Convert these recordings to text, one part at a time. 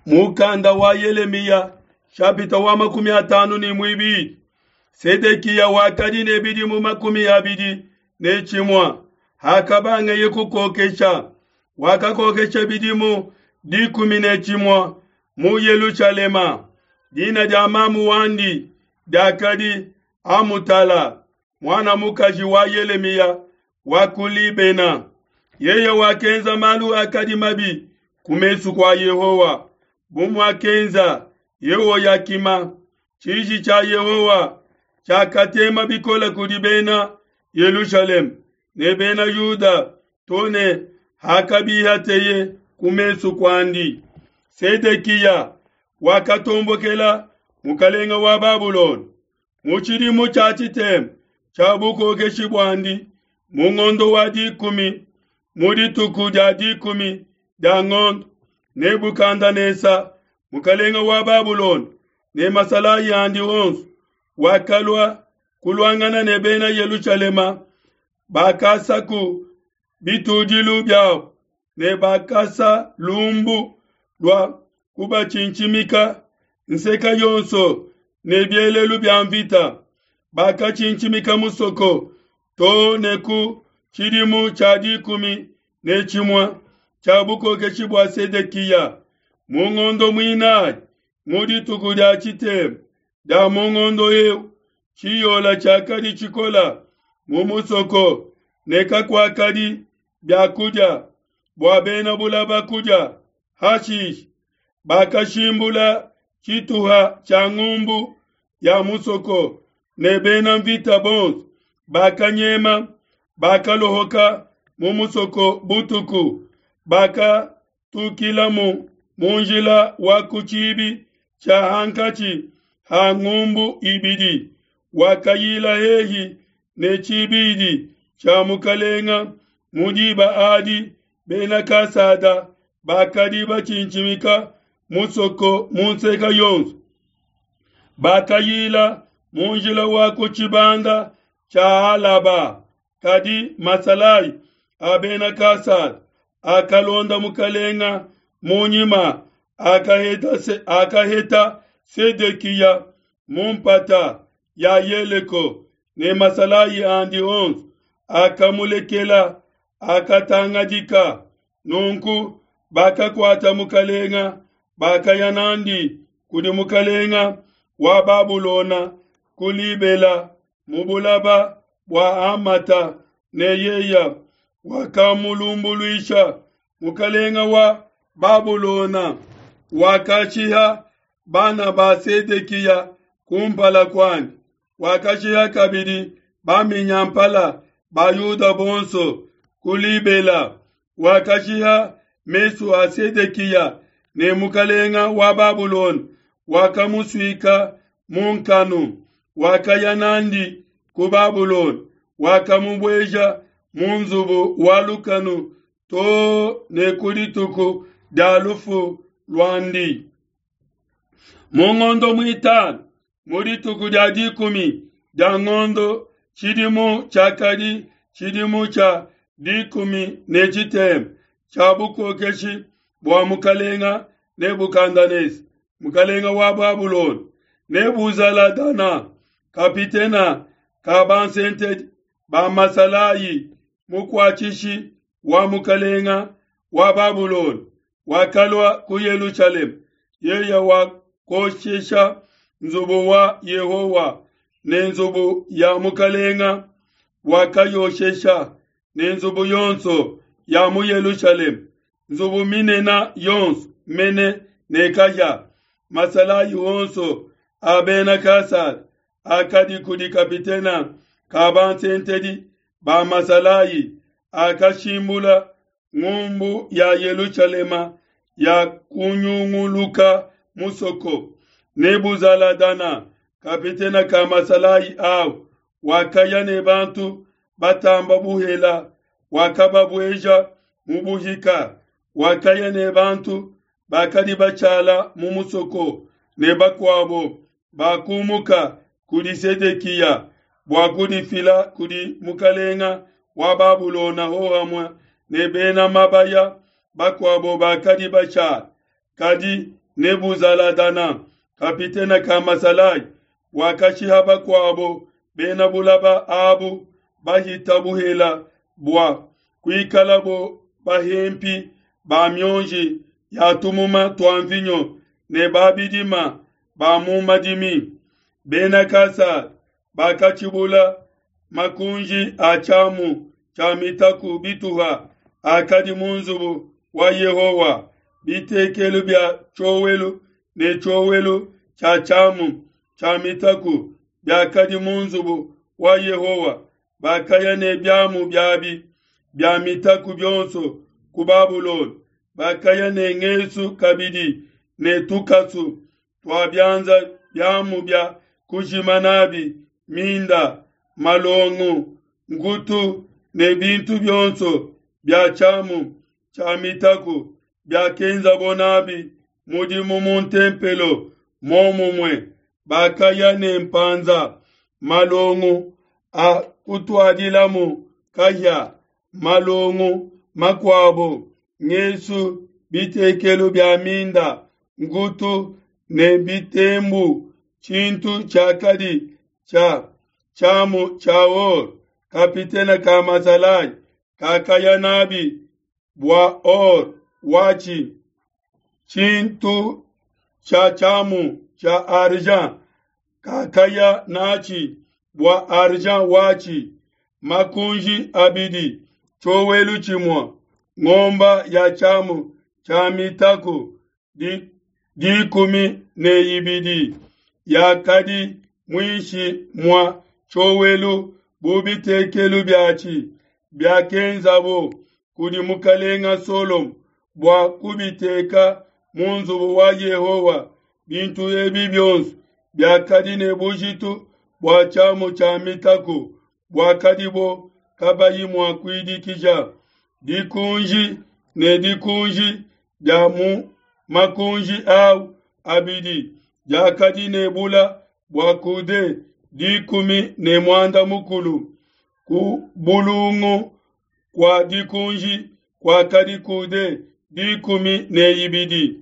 Mukanda wa Yelemiya shapita wa 52. Sedekiya wakadi ne bidimu 21 hakabangeye kukokesha. Wakakokesha bidimu 11 mu Yelushalema. Dina dia mamu wandi diakadi Amutala, muana mukaji wa Yelemiya wa ku Libena. Yeye wakenza malu akadi mabi ku mesu kua Yehowa, bu muakenza Yehoyakima. Tshiji tshia Yehowa tshiakatema bikole kudi bena Yelushalema ne bena Yuda to ne hakabihateye ku mesu kuandi. Sedekiya wakatombokela mukalenge wa Babulona. Mu tshidimu tshia tshitema tshia bukokeshi buandi, mu ngondo wa 10, mu dituku dia 10 dia ngondo, Nebukadenesa mukalenge wa Babulona ne masalayi andi onso wakalua kuluangana ne bena Yelushalema. Bakasaku bitudilu biabo ne bakasa lumbu lua kubatshintshimika nseka yonso ne bielelu bia mvita. Bakatshintshimika musoko to ne ku tshidimu tshia 11 tshia bukokeshi bua Sedekiya. Mu ngondo muinayi, mu dituku dia tshitema dia mu ngondo eu, tshiyola tshiakadi tshikola mu musoko ne kakuakadi biakudia bua bena bulaba kudia. Hashishe bakashimbula tshituha tshia ngumbu ya musoko ne bena mvita bonso bakanyema, bakalohoka mu musoko butuku, bakatukilamu mu njila wa ku tshibi tshia hankatshi ha ngumbu ibidi, wakayila hehi ne tshibidi tshia mukalenga. Mu diba adi bena Kasada bakadi batshintshimika musoko mu nseka yonso. Bakayila mu njila wa ku tshibanda tshia Alaba, kadi masalayi a bena Kasada akalonda mukalenga mu nyima, akaheta Sedekiya mu mpata ya Yeleko ne masalayi andi onso akamulekela, akatangadika. Nunku bakakuata mukalenga, bakaya nandi kudi mukalenga wa Babulona ku Libela mu bulaba bua Amata, ne yeya wakamulumbuluisha. Mukalenga wa Babulona wakashiha bana ba Sedekiya kumpala kuandi, wakashiha kabidi baminyampala ba Yuda bonso ku Libela. Wakashiha mesu a Sedekiya, ne mukalenga wa Babulona wakamusuika mu nkanu, wakaya nandi ku Babulona, wakamubueja mu nzubu wa lukanu to ne ku dituku dia lufu luandi. Mu ngondo muitanu, mu dituku dia 10 dia ngondo, tshidimu tshiakadi tshidimu tshia 13 tshia bukokeshi bua mukalenga Nebukadenesa, mukalenga wa Babulona, Nebuzaladana kapitena ka bansentedi ba masalayi, mukuatshishi wa mukalenga wa Babulona, wakalua ku Yelushalema. Yeye wakoshesha nzubu wa Yehowa ne nzubu ya mukalenga, wakayoshesha ne nzubu yonso ya mu Yelushalema, nzubu minene yonso mene ne kahia. Masalayi onso a bena Kasada akadi kudi kapitena ka bansentedi ba masalayi akashimbula ngumbu ya Yelushalema ya kunyunguluka musoko. Nebuzaladana kapitena ka masalayi au wakaya ne bantu batamba buhela, wakababueja mu buhika. Wakaya ne bantu bakadi batshala mu musoko ne bakuabo bakumuka kudi Sedekiya bua kudifila kudi mukalenga wa Babulona hohamue ne bena mabaya bakuabo bakadi batshala. Kadi Nebuzaladana, kapitene ka masalayi, wakashiha bakuabo bena bulaba abu bahita buhela bua kuikalabo bahempi ba mionji ya tumuma tua mvinyo ne ba bidima ba mu madimi. Bena Kasada bakatshibula makunji a tshiamu tshia mitaku bituha akadi mu nzubu wa Yehowa, bitekelu bia tshiowelu ne tshiowelu tshia tshiamu tshia mitaku biakadi mu nzubu wa Yehowa. Bakaya ne biamu biabi bia mitaku bionso ku Babulona, bakaya ne ngesu kabidi ne tukasu tua bianza biamu bia kujima nabi minda, malongo, nkutu ne bintu bionso bia tshiamu tshia mitaku biakenzabo nabi mudimu mu ntempelo. Muomumue bakaya ne mpanza, malongo a kutuadilamu kahia, malongo makuabo, ngesu, bitekelu bia minda, nkutu ne bitembu, tshintu tshiakadi tshia tshiamu tshia or. Kapitene ka masalayi kakaya nabi bua or watshi, tshintu tshia tshiamu tshia argent kakaya natshi bua argent watshi, makunji abidi, tshiowelu tshimue, ngomba ya tshiamu tshia mitaku 12 yakadi muinshi mua tshiowelu bu bitekelu biatshi biakenzabo kudi mukalenga Solomo bua kubiteka mu nzubu wa Yehowa. Bintu ebi bionso biakadi ne bujitu bua tshiamu tshia mitaku buakadibo kabayi mua kuidikija. Dikunji ne dikunji dia mu makunji au abidi diakadi ne bula bua kude 15. Ku bulungu kua dikunji kuakadi kude 12.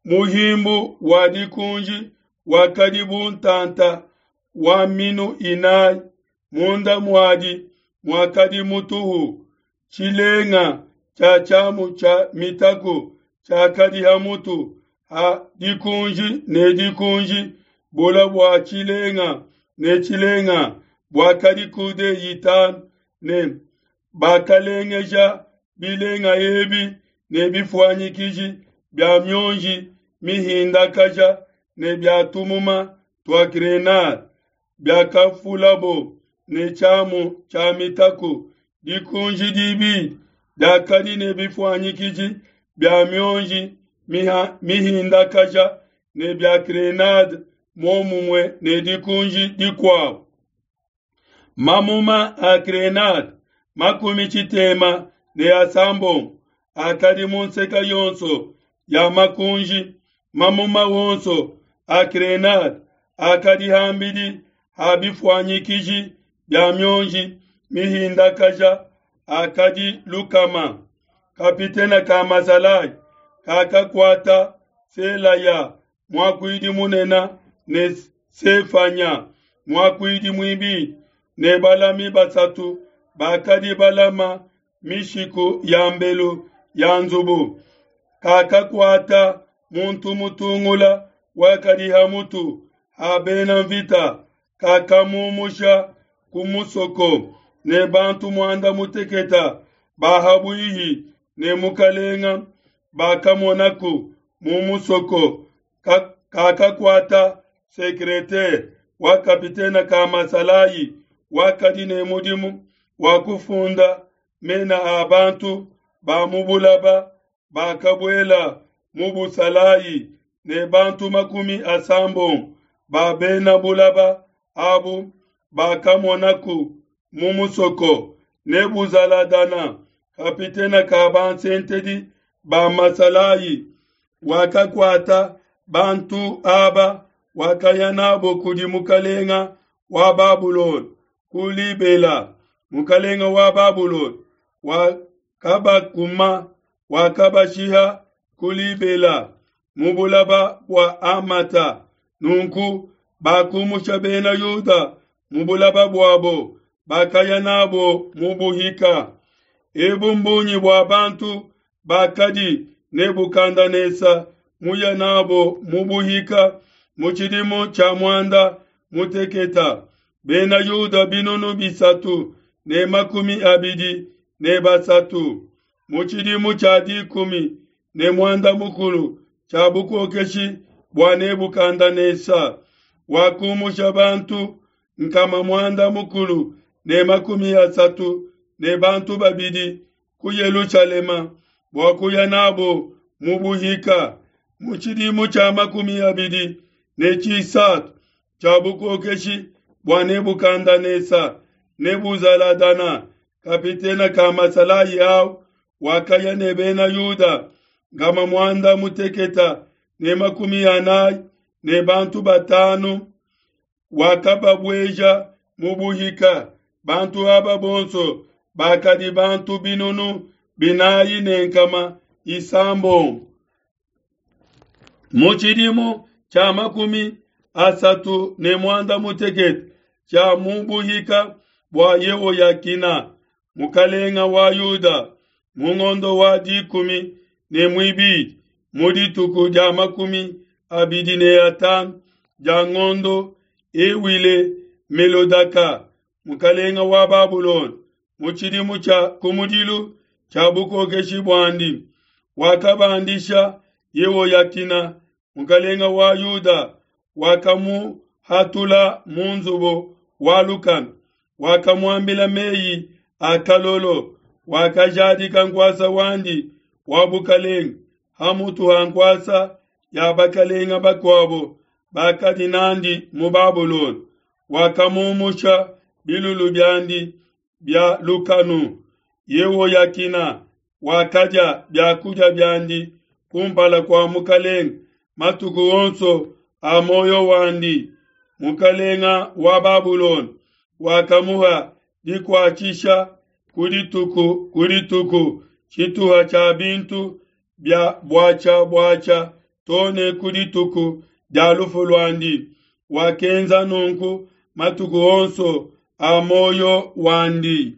Muhimbu wa dikunji wakadi bu ntanta wa minu 4, munda muadi muakadi mutuhu. Tshilenga tshia tshiamu tshia mitaku tshiakadi ha mutu ha dikunji ne dikunji, bula bua tshilenga ne tshilenga buakadi kude 5, ne bakalengeja bilenga ebi ne bifuanyikiji bia mionji mihindakaja ne bia tumuma tua grenade biakafulabo ne tshiamu tshia mitaku. Dikunji dibidi diakadi ne bifuanyikiji bia mionji mihindakaja ne bia grenade muomumue ne dikunji dikuabo. Mamuma a grenade 66 akadi mu nseka yonso ya makunji. Mamuma wonso a grenade akadi hambidi ha bifuanyikiji bia mionji mihindakaja akadi 100. Kapitene ka masalayi kakakuata Selaya muakuidi munene ne Sefanya muakuidi muibidi ne balami basatu bakadi balama mishiku ya mbelu ya nzubu. Kakakuata muntu mutungula wakadi ha mutu ha bena mvita, kakamumusha ku musoko ne bantu 18 ba habuihi ne mukalenga bakamonaku mu musoko. Kakakuata sekretere wa kapitene ka masalayi wakadi ne mudimu wa kufunda mena a bantu ba mu bulaba bakabuela mu busalayi ne bantu 70 ba bena bulaba abu bakamonaku mu musoko. Nebuzaladana kapitene ka bansentedi ba masalayi wakakuata bantu aba, wakaya nabo kudi mukalenga wa Babulona ku Libela. Mukalenga wa Babulona wakabakuma, wakabashiha ku Libela. mu bulaba bua Hamata. Nunku bakumusha Bena Yuda mu bulaba buabo, bakaya n'abo mu buhika. Ebu mbungi bua bantu bakadi Nebukadenesa muya n'abo mu buhika mu tshidimu tshia muanda muteketa, Bena Yuda 323. Mu tshidimu tshia 15 tshia bukokeshi bua Nebukadenesa, wakumusha bantu 632 ku Yelushalema bua kuya n'abo mu buhika. Mu tshidimu tshia 23 tshia bukokeshi bua Nebukadenesa, Nebuzaladana kapitene ka masalayi au wakaya ne Bena Yuda 945, wakababueja mu buhika. Bantu aba bonso bakadi bantu 4600. Mu tshidimu tshia 38 tshia mu buhika bua Yehoyakina mukalenga wa Yuda, mu ngondo wa 12 mu dituku dia 25 dia ngondo, Ewile Melodaka mukalenga wa Babulona mu tshidimu tshia kumudilu tshia bukokeshi buandi, wakabandisha Yehoyakina mukalenga wa Yuda, wakamuhatula mu nzubu wa lukanu, wakamuambila meyi a kalolo, wakajadika nkuasa wandi wa bukalenga hamutu ha nkuasa ya bakalenga bakuabo bakadi nandi mu Babulona, wakamumusha bilulu biandi bia lukanu. Yehoyakina wakadia biakudia biandi kumpala kua mukalenga matuku onso a muoyo wandi. Mukalenga wa Babulona wakamuha dikuatshisha ku dituku ku dituku tshituha tshia bintu bia buatshia buatshia too ne ku dituku dia lufu luandi. Wakenza nunku matuku onso a muoyo wandi.